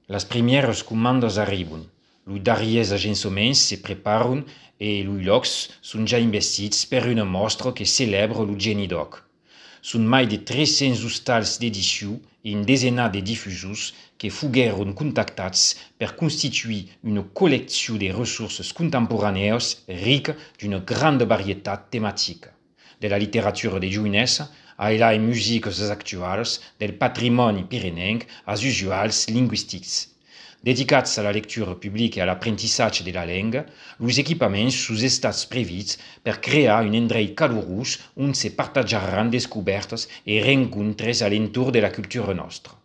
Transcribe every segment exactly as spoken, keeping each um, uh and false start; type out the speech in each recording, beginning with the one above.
Las primieras comandas arribun. Lui darriers agençaments se preparan e lui locs sun già investits per una mostra che celebra lo geni doc. Sun mai de tres cents ostals d'edició e un desenat de difusos que foguèron contactats per constituir una collecció de ressources contemporanees rica d'una grande varietat tematica, de la literatura de jovenesa a las musiques actuals, del patrimoni pirenenc als usuals linguistics. Dedicats a la lectura publica e a l'apprentissatge de la lenga, los equipaments sus estats previts per crear un endreit calorós on se partagiaran descobertes e rencontres a l'entorn de la cultura nostra.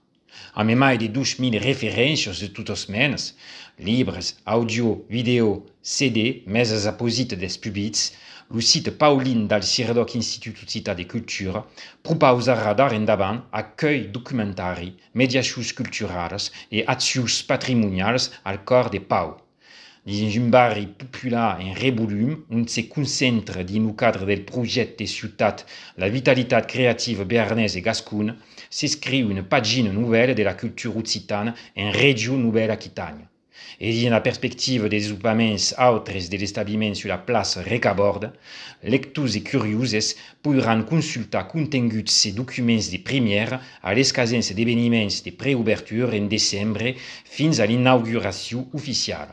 Am mai de dos mil referències de totes menes, libres, audio, video, C D, meses a posit des publics, lo site Paulin del Cirdoc Institut Occità de Cultura propausarà d'ara endavant accueil documentari, mediacions culturals e accions patrimonials al cor de Pau. Dins un barri popular en revolum, on se concentra dins el cadre del projecte de ciutat La vitalitat creativa bearnesa e gascuna, s'escriu una pàgina nouvelle de la cultura occitana en regió Nouvelle-Aquitània. E dins la perspectiva de desenvolupaments autres de l'establiment sur la plaça Recaborda, lectors e curioses podran consultar continguts e documents de première a l'escasens d'eveniments de preobertura en desembre fins a l'inauguració oficial.